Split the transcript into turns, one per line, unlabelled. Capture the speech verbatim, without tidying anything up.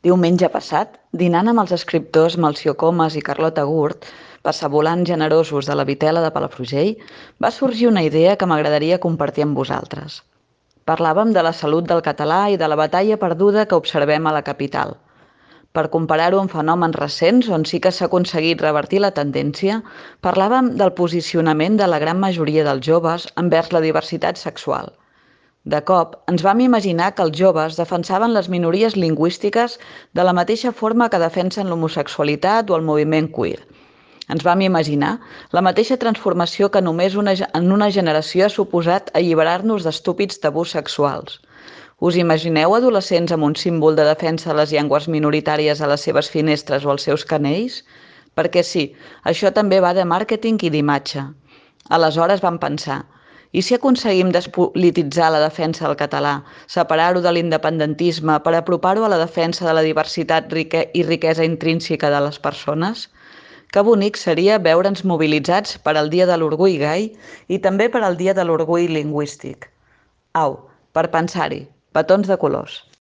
Diumenge passat, dinant amb els escriptors Melcior Comas i Carlota Gurt, passavolants generosos de la Vitela de Palafrugell, va sorgir una idea que m'agradaria compartir amb vosaltres. Parlàvem de la salut del català i de la batalla perduda que observem a la capital. Per comparar-ho amb fenòmens recents on sí que s'ha aconseguit revertir la tendència, parlàvem del posicionament de la gran majoria dels joves envers la diversitat sexual. De cop, ens vam imaginar que els joves defensaven les minories lingüístiques de la mateixa forma que defensen l'homosexualitat o el moviment queer. Ens vam imaginar la mateixa transformació que només una, en una generació ha suposat alliberar-nos d'estúpids tabús sexuals. Us imagineu adolescents amb un símbol de defensa de les llengües minoritàries a les seves finestres o als seus canells? Perquè sí, això també va de màrqueting i d'imatge. Aleshores vam pensar, i si aconseguim despolititzar la defensa del català, separar-ho de l'independentisme per apropar-ho a la defensa de la diversitat i riquesa intrínseca de les persones? Que bonic seria veure'ns mobilitzats per al Dia de l'Orgull Gai i també per al Dia de l'Orgull Lingüístic. Au, per pensar-hi, petons de colors.